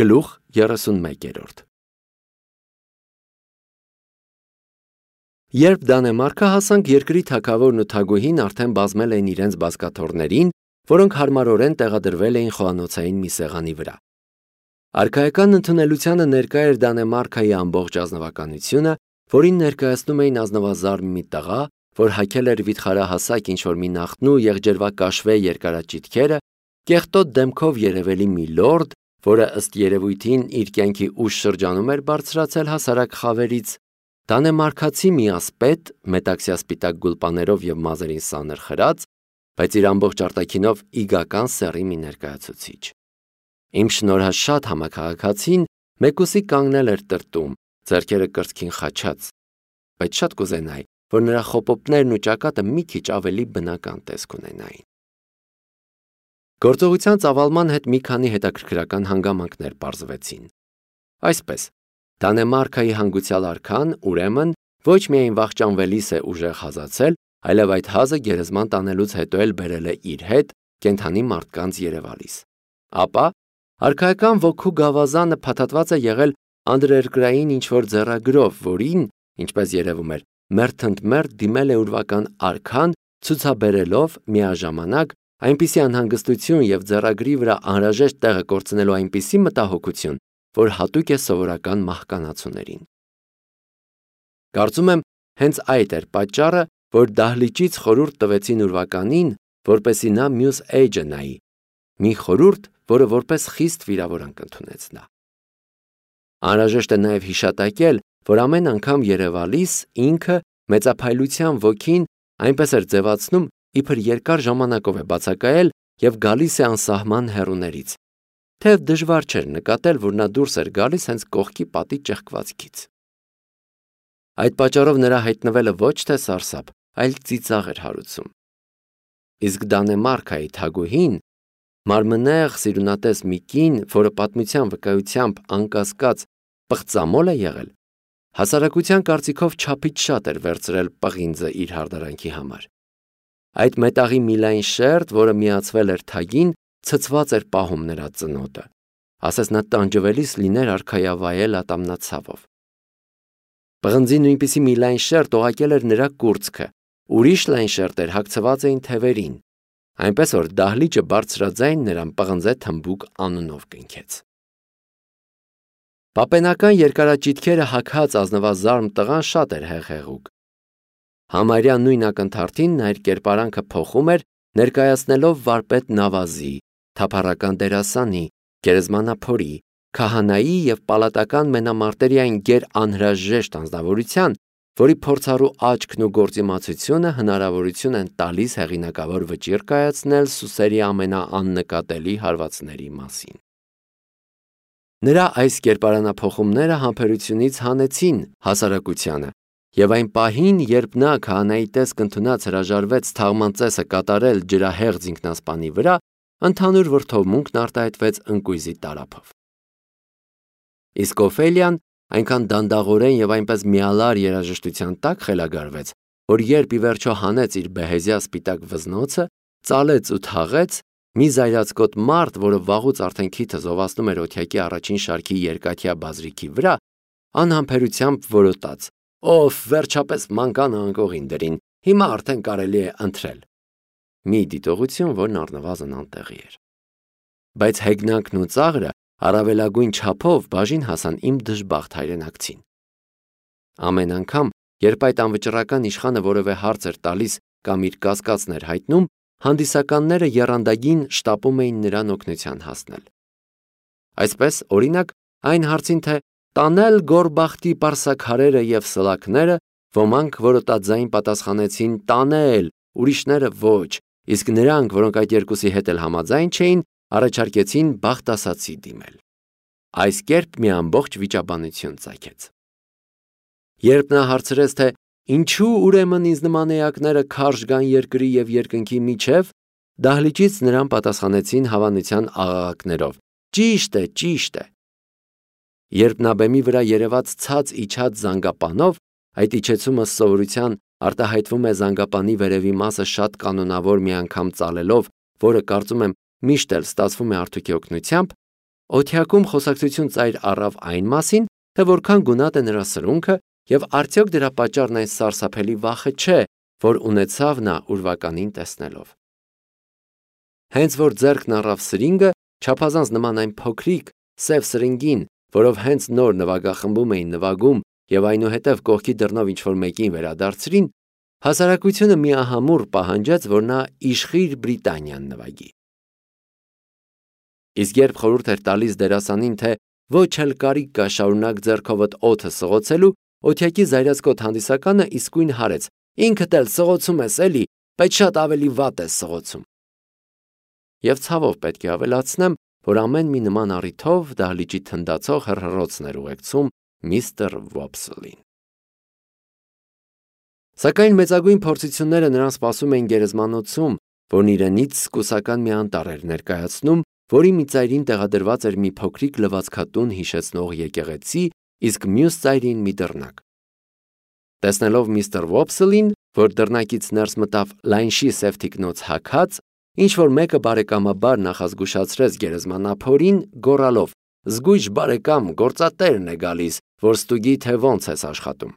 Գլուխ 31։ Երբ Դանեմարկը հասանք, երկրի թագավորն ու թագուհին արդեն բազմել էին իրենց բազկաթոռներին, որոնք հարմարորեն տեղադրվել էին խոհանոցային մի սեղանի վրա։ Արքայական ընդունելությանը ներկա էր Դանեմարկայի ամբողջ ազնվականությունը, որին ներկայացնում էին ազնվազարմ մի տղա, որ հագել էր վիթխարահասակ ինչ-որ մի նախնու եղջերվակաշվե երկարաճիթքերը, կեղտոտ դեմքով երևելի մի լորդ, որը ըստ երևույթին իր կյանքի ուշ շրջանում էր բարձրացել հասարակ խավերից, դանեմարկացի մի ասպետ, մետաքսյասպիտակ գուլպաներով և մազերին սանր խրած, բայց իր ամբողջ արտաքինով իգական սեռի մի ներկայացուցիչ։ Իմ շնորհաշատ համաքաղաքացին մեկուսի կանգնել էր տրտում, ձեռքերը կրծքին խաչած, բայց շատ կուզենայի, որ նրա խոպոպներն ու ճակատը մի քիչ ավելի բնական տեսք ունենային։ Գործողության ծավալման հետ մի քանի հետաքրքրական հանգամանքներ պարզվեցին։ Այսպես, Դանեմարկայի հանգուցյալ արքան, ուրեմն, ոչ միայն վախճանվելիս է ուժեղ հազացել, այլև այդ հազը գերեզման տանելուց հետո էլ բերել է իր հետ կենդանի մարդկանց երևալիս։ Ապա արքայական ոգու գավազանը փաթաթված է եղել անդրերկրային ինչ-որ ձեռագրով, որին, ինչպես երևում էր, մերթընդմերթ դիմել է ուրվական արքան, ցուցաբերելով միաժամանակ այնպիսի անհանգստություն և ձեռագրի վրա անհրաժեշտ տեղը կորցնելու այնպիսի մտահոգություն, որ հատուկ է սովորական մահկանացուներին։ Կարծում եմ, հենց այդ էր պատճառը, որ դահլիճից խորհուրդ տվեցին ուրվականին, որպեսզի նա մյուս էջը նայի, մի խորհուրդ, որը որպես խիստ վիրավորանք ընդունեց նա։ Անհրաժեշտ է նաև հիշատակել, որ ամեն անգամ երևալիս ինքը մեծափայլության ոգին այնպես էր ձևացնում, իբր երկար ժամանակով է բացակայել և գալիս է անսահման հեռուներից, թեև դժվար չէր նկատել, որ նա դուրս էր գալիս հենց կողքի պատի ճեղքվածքից։ Այդ պատճառով նրա հայտնվելը ոչ թե սարսափ, այլ ծիծաղ էր հարուցում։ Իսկ Դանեմարկայի թագուհին, մարմնեղ սիրունատես մի կին, որը պատմության վկայությամբ անկասկած պղծամոլ է եղել, հասարակության կարծիքով չափից շատ էր վերցրել պղինձը իր հարդարանքի համար։ Այդ մետաղի մի լայն շերտ, որը միացվել էր թագին, ցցված էր պահում նրա ծնոտը, ասես նա տանջվելիս լիներ արքայավայել ատամնացավով։ Պղնձի նույնպիսի մի լայն շերտ օղակել էր նրա կուրծքը, ուրիշ լայն շերտեր հագցված էին թևերին, այնպես որ դահլիճը բարձրաձայն նրան պղնձե թմբուկ անունով կնքեց։ Պապենական երկարաճիթքերը հագած ազնվազարմ տղան շատ էր հեղեղուկ։ Համարյա նույն ակնթարթին նա իր կերպարանքը փոխում էր, ներկայացնելով վարպետ Նավազի, թափառական դերասանի, գերեզմանափորի, քահանայի և պալատական մենամարտերի այն գեր անհրաժեշտ անձնավորության, որի փորձառու աչքն ու գործիմացությունը հնարավորություն են տալիս հեղինակավոր վճիռ կայացնել սուսերի ամենաաննկատելի հարվածների մասին։ Նրա այս կերպարանափոխումները համբերությունից հանեցին հասարակությանը, և այն պահին, երբ նա քահանայի տեսք ընդունած հրաժարվեց թաղման ծեսը կատարել ջրահեղձ ինքնասպանի վրա, ընդհանուր վրդովմունքն արտահայտվեց ընկույզի տարափով։ Իսկ Օֆելիան այնքան դանդաղորեն և այնպես միալար երաժշտության տակ խելագարվեց, որ երբ ի վերջո հանեց իր բեհեզյա սպիտակ վզնոցը, ծալեց ու թաղեց, մի զայրացկոտ մարդ, որը վաղուց արդեն քիթը զովացնում էր օթյակի առաջին շարքի երկաթյա բազրիքի վրա, անհամբերությամբ որոտաց. «Ով վերջապես մանկանը անկողին դրին, հիմա արդեն կարելի է ընթրել»։ Մի դիտողություն, որն առնվազն անտեղի էր։ Բայց հեգնանքն ու ծաղրը առավելագույն չափով բաժին հասան իմ դժբախտ հայրենակցին։ Ամեն անգամ, երբ այդ անվճռական իշխանը որևէ հարց էր տալիս կամ իր կասկածն էր հայտնում, հանդիսականները եռանդագին շտապում էին նրան օգնության հասնել։ Այսպես, օրինակ, այն հարցին, թե տանել Գորբախտի պարսաքարերը և սլաքները, ոմանք որոտածային պատասխանեցին տանել, ուրիշները ոչ, իսկ նրանք, որոնք այդ երկուսի հետ էլ համաձայն չէին, առաջարկեցին բախտասացի դիմել։ Այս կերպ մի ամբողջ վիճաբանություն ծագեց։ Երբ նա հարցրեց, թե ինչու ուրեմն ինձ նման էակները քարշ գան երկրի և երկնքի միջև, դահլիճից նրան պատասխանեցին հավանության աղաղակներով. «Ճիշտ է, ճիշտ է»։ Երբ նա բեմի վրա երևաց ցած իջած զանգապանով, այդ իջեցումը սովորության արտահայտվում է զանգապանի վերևի մասը շատ կանոնավոր մի անգամ ծալելով, որը կարծում եմ միշտ էլ ստացվում է Արթուկի օգնությամբ, Օթյակում խոսակցություն ծայր առավ այն մասին, թե որքան գունատ է նրա սրունքը եւ արդյոք դրա պատճառն այն սարսափելի վախը չէ, որ ունեցավ նա ուրվականին տեսնելով։ Հենց որ ձեռքն առավ սրինգը, չափազանց նման այն փոքրիկ սև սրինգին, որով հենց նոր նվագախմբում էին նվագում եւ այնուհետև կողքի դռնով ինչ-որ մեկին վերադարձրին, հասարակությունը միահամուռ պահանջեց, որ նա իշխիր Բրիտանիան նվագի։ Իսկ երբ խորհուրդ էր տալիս դերասանին, թե ոչ էլ կարիք կա շարունակ ձեռքովդ օդը սղոցելու, օթյակի զայրացկոտ հանդիսականը իսկույն հարեց. ինքդ էլ սղոցում ես էլի, բայց շատ ավելի վատ ես սղոցում։ Եվ ցավով պետք է ավելացնեմ, որ ամեն մի նման առիթով դահլիճի թնդացող հռհռոցն էր ուղեկցում միստր Վոփսլին։ Սակայն մեծագույն փորձությունները նրան սպասում էին գերեզմանոցում, որն իրենից սկուսական մի անտառ էր ներկայացնում, որի մի ծայրին տեղադրված էր մի փոքրիկ լվացքատուն հիշեցնող եկեղեցի, իսկ մյուս ծայրին մի դռնակ։ Տեսնելով միստր Վոփսլին, որ դռնակից ներս մտավ լայնշի սև թիկնոց հագած, ինչ-որ մեկը բարեկամաբար նախազգուշացրեց գերեզմանափորին, գոռալով. «Զգույշ բարեկամ, գործատերն է գալիս, որ ստուգի, թե ոնց ես աշխատում»։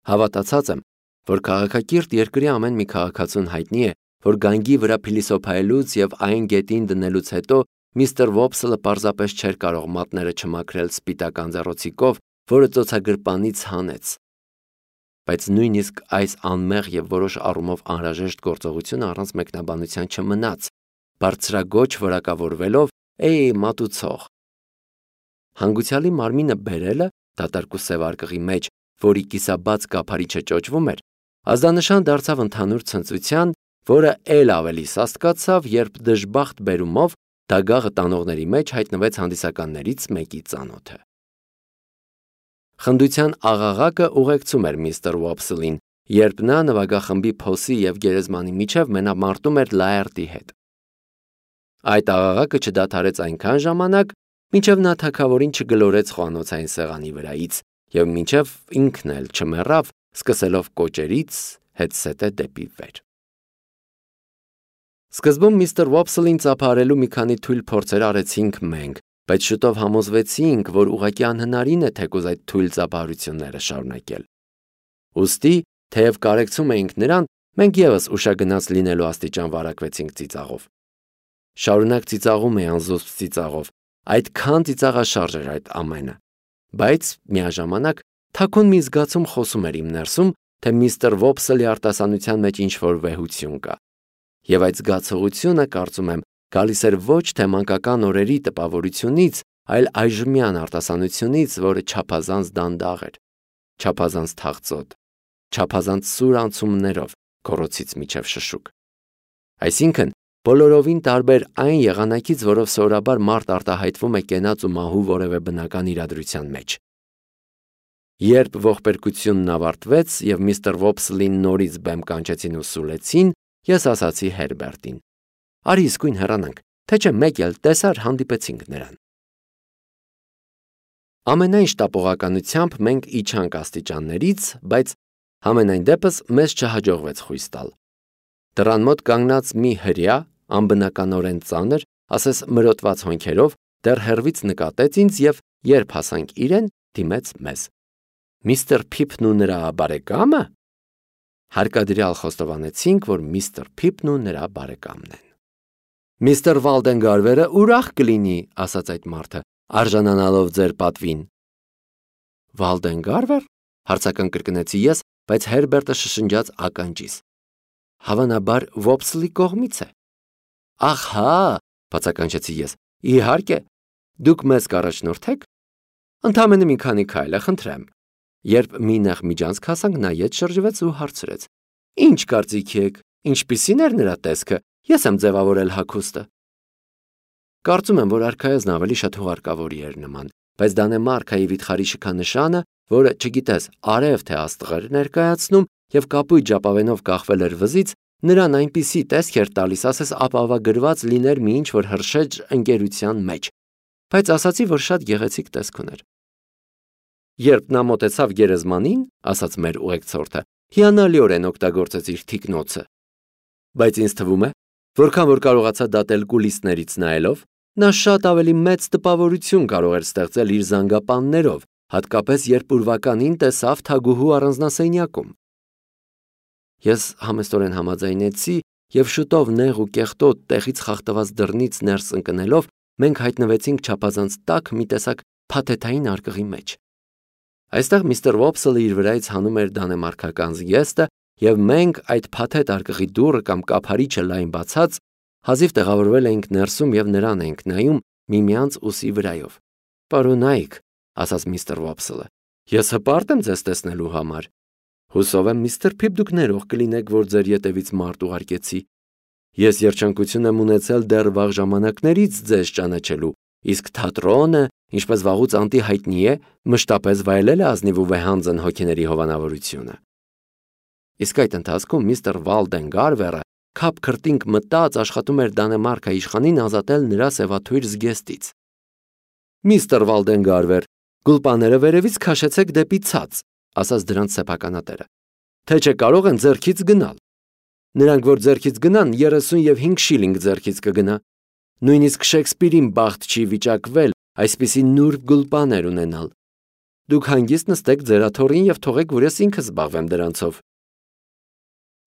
Հավատացած եմ, որ քաղաքակիրթ երկրի ամեն մի քաղաքացուն հայտնի է, որ գանգի վրա փիլիսոփայելուց եւ այն գետին դնելուց հետո միստր Վոփսլը պարզապես չէր կարող մատները չմաքրել սպիտակ անձեռոցիկով, որը ծոցագրպանից հանեց։ Բայց նույնիսկ այս անմեղ եւ որոշ առումով անհրաժեշտ գործողությունը առանց մեկնաբանության չմնաց, բարձրագոչ որակավորվելով «Էյ, մատուցող»։ Հանգուցյալի մարմինը բերելը դատարկ ու սև արկղի մեջ, որի կիսաբաց կափարիչը ճոճվում էր, ազդանշան դարձավ ընդհանուր ցնծության, որը էլ ավելի սաստկացավ, երբ դժբախտ բերումով դագաղը տանողների մեջ հայտնվեց հանդիսականներից մեկի ծանոթը։ Խնդության աղաղակը ուղեկցում էր միստր Վոփսլին, երբ նա նվագախմբի փոսի եւ գերեզմանի միջև մենամարտում էր Լաերտի հետ։ Այդ աղաղակը չդադարեց այնքան ժամանակ, մինչև նա թագավորին չգլորեց խոհանոցային սեղանի վրայից եւ մինչև ինքն էլ չմեռավ, սկսելով կոճերից հետսետե դեպի վեր։ Սկզբում միստր Վոփսլին ծափարելու մի քանի թույլ փորձեր արեցինք մենք, բայց շուտով համոզվեցինք, որ ուղղակի անհնարին է թեկուզ այդ թույլ ծափարությունները շարունակել։ Ուստի, թեև կարեկցում էինք նրան, մենք եւս ուշագնաց լինելու աստիճան վարակվեցինք ծիծաղով։ Շարունակ ծիծաղում էի անզուսպ ծիծաղով, այդքան ծիծաղաշարժ էր այդ ամենը, բայց միաժամանակ թաքուն մի զգացում խոսում էր իմ ներսում, թե միստր Վոփսլի արտասանության մեջ ինչ-որ վեհություն կա։ Եվ այդ զգացողությունը, կարծում եմ, գալիս էր ոչ թե մանկական օրերի տպավորությունից, այլ այժմյան արտասանությունից, որը չափազանց դանդաղ էր, չափազանց թախծոտ, չափազանց սուր անցումներով, քորոցից միջև շշուկ։ Այսինքն, բոլորովին տարբեր այն եղանակից, որով սովորաբար մարդ արտահայտվում է կենաց ու մահու որևէ բնական իրադրության մեջ։ Երբ ողբերգությունն ավարտվեց եւ միստր Վոփսլին նորից բեմ կանչեցին ու սուլեցին, ես ասացի Հերբերտին. «Արի իսկույն հեռանանք, թե չէ մեկ էլ տեսար հանդիպեցինք նրան»։ Ամենայն շտապողականությամբ մենք իջանք աստիճաններից, բայց համենայն դեպս մեզ չհաջողվեց խույս տալ։ Դռան մոտ կանգնած մի հրեա, անբնականորեն ծանր, ասես մրոտված հոնքերով, դեռ հեռվից նկատեց ինձ եւ երբ հասանք իրեն, դիմեց մեզ. «Միստր Փիփն ու նրա բարեկամը»։ Հարկադրյալ խոստովանեցինք, որ միստր Փիփն ու նրա բարեկամն են։ «Միստր Վալդենգարվերը ուրախ կլինի», ասաց այդ մարդը, արժանանալով ձեր պատվին։ «Վալդենգարվեր»։ Հարցական կրկնեցի ես, բայց Հերբերտը շշնջաց ականջիս։ Հավանաբար Վոփսլի կողմից է։ Ահա, բացականչեցի ես, իհարկե, դուք մեզ կառաջնորդեք։ Ընդամենը մի քանի քայլ է, խնդրեմ։ Երբ մի նեղ միջանցք հասանք, նա ետ շրջվեց ու հարցրեց. «Ինչ կարծիք եք, ինչպիսին էր նրա տեսքը, ես եմ ձևավորել հագուստը»։ Կարծում եմ, որ արքայազն ավելի շատ հուղարկավորի էր նման, բայց Դանեմարքայի վիթխարի շքանշանը, որը չգիտես արև թե աստղեր ներկայացնում եւ կապույտ ժապավենով կախվել էր վզից, նրան այնպիսի տեսք էր տալիս, ասես ապավագրված լիներ մի ինչ-որ հրշեջ ընկերության մեջ, բայց ասացի, որ շատ գեղեցիկ տեսք ուներ։ Երբ նա մոտեցավ գերեզմանին, ասաց մեր ուղեկցորդը, հիանալիորեն օգտագործեց իր թիկնոցը։ Բայց ինձ թվում է, որքան որ կարողացա դատել կուլիսներից նայելով, Նա շատ ավելի մեծ տպավորություն կարող էր ստեղծել իր զանգապաններով, հատկապես երբ ուրվականին տեսավ թագուհու առանձնասենյակում։ Ես համեստորեն համաձայնեցի և շուտով նեղ ու կեղտոտ տեղից խախտված դռնից ներս ընկնելով մենք հայտնվեցինք չափազանց տաք մի տեսակ փաթեթային արկղի մեջ։ Այստեղ միստր Վոփսելը իր վրայից հանում էր դանեմարքական զգեստը, և մենք այդ փաթեթ արկղի դուռը կամ կափարիչը լայն բացած հազիվ տեղավորվել էինք ներսում և նրան էինք նայում միմյանց ուսի վրայով։ «Պարոնայք», ասաց միստր Վոփսելը, «ես հպարտ եմ ձեզ տեսնելու համար։ Հուսով եմ, միստր Փիփ, դուք ներող կլինեք, որ ձեր ետևից մարդ ուղարկեցի։ Ես երջանկություն եմ ունեցել դեռ վաղ ժամանակներից ձեզ ճանաչելու, իսկ թատրոնը, ինչպես վաղուց անտի հայտնի է, մշտապես վայելել է ազնիվ ու վեհանձն հոգիների հովանավորությունը»։ Իսկ այդ ընթացքում միստր Վալդեն Գարվերը քափ քրտինք մտած աշխատում էր դանեմարքայիշխանին ազատել նրա սևաթույր զգեստից։ «Միստր Վալդեն Գարվեր, գուլպաները վերևից քաշեցեք դեպի ցած», ասաց դրանց սեփականատերը, «թե չէ կարող են ձեռքից գնալ։ Նրանք, որ ձեռքից գնան, 35 շիլինգ ձեռքից կգնա։ Նույնիսկ Շեքսպիրին բախտ չի վիճակվել այսպիսի նուրբ գուլպաներ ունենալ։ Դուք հանգիստ նստեք ձեր աթոռին և թողեք, որ ես ինքս զբաղվեմ դրանցով»։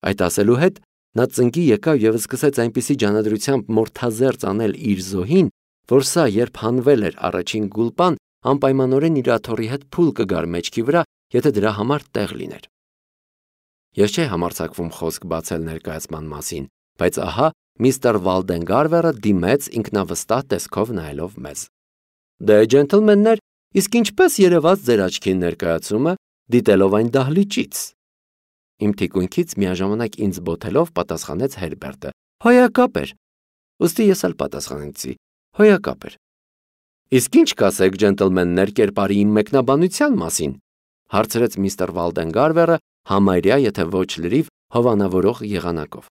Այդ ասելու հետ նա ծնկի եկավ և սկսեց այնպիսի ջանադրությամբ մորթազերծ անել իր զոհին, որ սա, երբ հանվել էր առաջին գուլպան, անպայմանորեն իր աթոռի հետ փուլ կգար մեջքի վրա, եթե դրա համար տեղ լիներ։ Ես չէի համարձակվում խոսք բացել ներկայացման մասին, բայց ահա միստր Վալդեն Գարվերը դիմեց ինքնավստահ տեսքով նայելով մեզ։ «Դե, ջենտլմեններ, իսկ ինչպես երևաց ձեր աչքին ներկայացումը, դիտելով այն դահլիճից»։ Իմ թիկունքից միաժամանակ ինձ բոթելով պատասխանեց Հերբերտը. «Հոյակապ էր»։ Ուստի ես էլ պատասխանեցի. «Հոյակապ էր»։ «Իսկ ինչ կասեք, ջենտլմեններ, կերպարի իմ մեկնաբանության մասին», հարցրեց միստր Վալդեն Գարվերը համարյա, եթե ոչ լրիվ, հովանավորող եղանակով։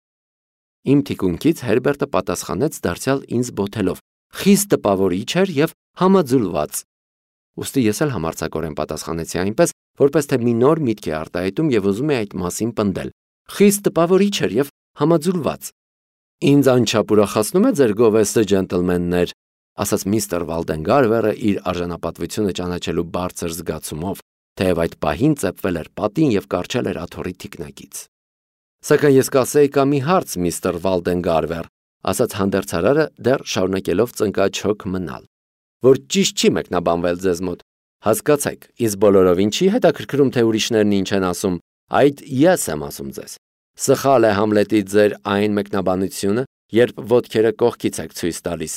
Իմ թիկունքից Հերբերտը պատասխանեց դարձյալ ինձ բոթելով. «Խիստ տպավորիչ էր և համաձուլված»։ Ուստի ես էլ համարձակորեն պատասխանեցի այնպես, որպես թե մի նոր միտք է արտահայտում և ուզում է այդ մասին պնդել. «Խիստ տպավորիչ էր և համաձուլված»։ «Ինձ անչափ ուրախացնում է ձեր գովեստը, ջենտլմեններ», ասաց միստր Վալդեն Գարվերը իր արժանապատվությունը ճանաչելու բարձր զգացումով, թեև այդ պահին ծեփվել էր պատին և կառչել էր աթոռի թիկնակից։ «Սակայն ես կասեի կա մի հարց, միստր Վալդեն Գարվեր», ասաց հանդերձարարը դեռ շարունակելով ծնկաչոք մնալ, «որ ճիշտ չի մեկնաբանվել ձեզ մոտ։ Հասկացեք, ինձ բոլորովին չի հետաքրքրում, թե ուրիշներն ինչ են ասում, այդ ես եմ ասում ձեզ։ Սխալ է Համլետի ձեր այն մեկնաբանությունը, երբ ոտքերը կողքից եք ցույց տալիս։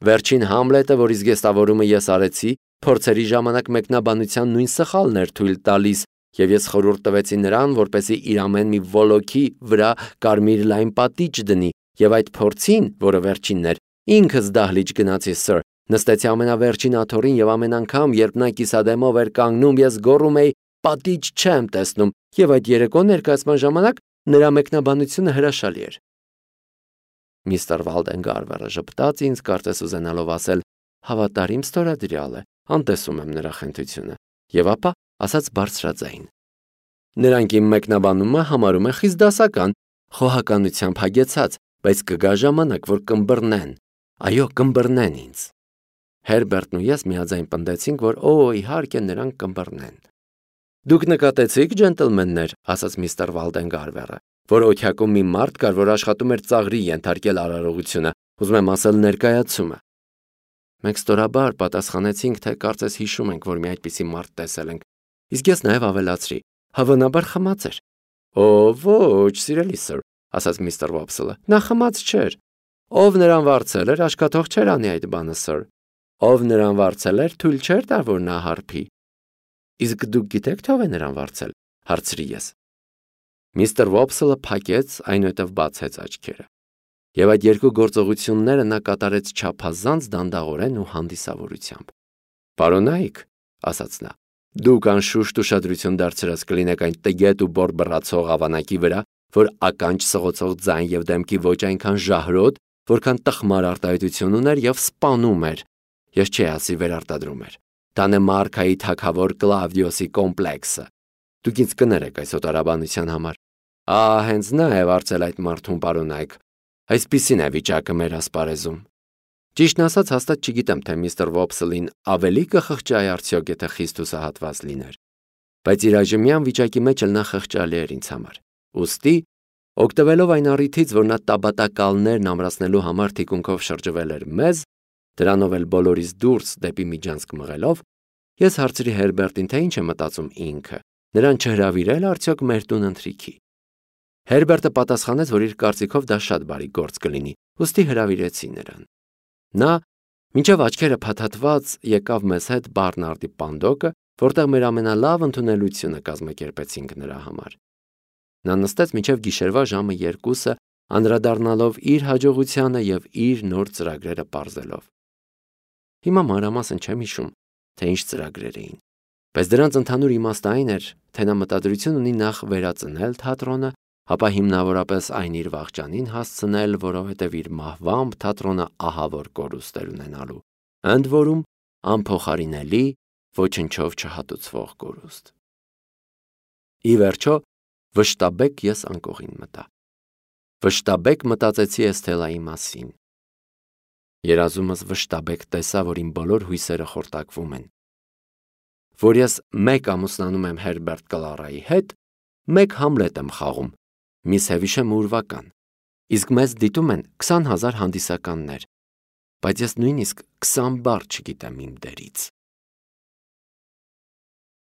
Վերջին Համլետը, որի զգեստավորումը ես արեցի, փորձերի ժամանակ մեկնաբանության նույն սխալն էր թույլ տալիս, և ես խորհուրդ տվեցի նրան, որպեսզի իր ամեն մի վոլոքի վրա կարմիր լայն պատիճ դնի, և այդ փորձին, որը վերջինն էր, ինքս դահլիճ գնացի, սըր, նստեցի ամենավերջին աթոռին և ամեն անգամ, երբ նա կիսադեմով էր կանգնում, ես գոռում էի. «Պատիճ չեմ տեսնում», և այդ երեկո ներկայացման ժամանակ նրա մեկնաբանությունը հրաշալի էր։ Միստր Վալդեն Գարվերը ժպտաց ինձ, կարծես ուզենալով ասել. «Հավատարիմ ստորադրյալ է, անտեսում եմ նրա խենթությունը», և ապա ասաց բարձրաձայն. «Նրանք իմ մեկնաբանումը համարում են խիստ դասական, խոհականությամբ հագեցած, բայց կգա ժամանակ, որ կըմբռնեն, այո, կըմբռնեն ինձ»։ Հերբերտն ու ես միաձայն պնդեցինք, որ իհարկե նրանք կըմբռնեն։ «Դուք նկատեցիք, ջենտլմեններ», ասաց միստր Վալդեն Գարվերը, «որ օթյակում մի մարդ կար, որ աշխատում էր ծաղրի ենթարկել արարողությունը, ուզում եմ ասել ներկայացումը»։ Մենք ստորաբար պատասխանեցինք, թե կարծես հիշում ենք, որ մի այդպիսի մարդ տեսել ենք, իսկ ես նաև ավելացրի. «Հավանաբար խմած էր»։ Ոչ, սիրելի սըր, ասաց միստր Վոփսելը, նա խմած չէր։ Ով նրան վարձել էր, աչքաթող չէր անի այդ բանը, սըր։ Ով նրան վարձել էր, թույլ չէր տա, որ նա հարբի։ Իսկ դուք գիտեք, թե ով է նրան վարձել, հարցրի ես։ Միստր Վոփսելը փակեց, այնուհետև բացեց աչքերը։ Եվ այդ երկու գործողությունները նա կատարեց չափազանց դանդաղորեն ու հանդիսավորությամբ։ «Պարոնայք», ասաց նա, «դուք անշուշտ ուշադրություն դարձրած կլինեք այն տգետ ու բորբռացող ավանակի վրա, որ ականջ սղոցող ձայն և դեմքի ոչ այնքան ժահրոտ, որքան տխմար արտահայտություն ուներ և սպանում էր, ես չի ասի վերարտադրում էր, Դանեմարքայի թագավոր Կլավդիոսի կոմպլեքսը։ Դուք ինձ կներեք այս օտարաբանության համար։ Հենց նա է վարձել այդ մարդուն, պարոնայք։ Այսպիսին է վիճակը մեր ասպարեզում»։ Ճիշտն ասած, հաստատ չգիտեմ, թե միստր Վոփսլին ավելի կխղճայի արդյոք, եթե խիստ հուսահատված լիներ, բայց իր այժմյան վիճակի մեջ էլ նա խղճալի էր ինձ համար։ Ուստի, օգտվելով այն առիթից, որ նա տաբատակալներն ամրացնելու համար թիկունքով շրջվել էր մեզ, դրանով էլ բոլորից դուրս դեպի միջանցք մղելով, ես հարցրի Հերբերտին, թե ինչ է մտածում ինքը, նրան չհրավիրել արդյոք մեր տուն ընթրիքի։ Հերբերտը պատասխանեց, որ իր կարծիքով դա շատ բարի գործ կլինի, ուստի հրավիրեցի նրան։ Նա, մինչև աչքերը փաթաթված, եկավ մեզ հետ Բարնարդի պանդոկը, որտեղ մեր ամենալավ ընդունելությունը կազմակերպեցինք նրա համար։ Նա նստեց մինչև գիշերվա ժամը 2-ը, անդրադառնալով իր հաջողությանը և իր նոր ծրագրերը պարզելով։ Հիմա մանրամասն չեմ հիշում, թե ինչ ծրագրեր էին, բայց դրանց ընդհանուր իմաստը այն էր, թե նա մտադրություն ունի նախ վերածնել թատրոնը, ապա հիմնավորապես այն իր վաղճանին հասցնել, որովհետև իր մահվամբ թատրոնը ահավոր կորուստ էր ունենալու, ընդ որում անփոխարինելի, ոչնչով չհատուցվող կորուստ։ Ի վերջո, վշտաբեկ ես անկողին մտա։ Վշտաբեկ մտածեցի Էսթելայի մասին։ Երազումս վշտաբեկ տեսա, որ իմ բոլոր հույսերը խորտակվում են, որ ես մեկ ամուսնանում եմ Հերբերտ Կլարայի հետ, մեկ Համլետ եմ խաղում, միս Հևիշեմ ուրվական, իսկ մեզ դիտում են 20,000 հանդիսականներ, բայց ես նույնիսկ 20 բառ չգիտեմ իմ դերից։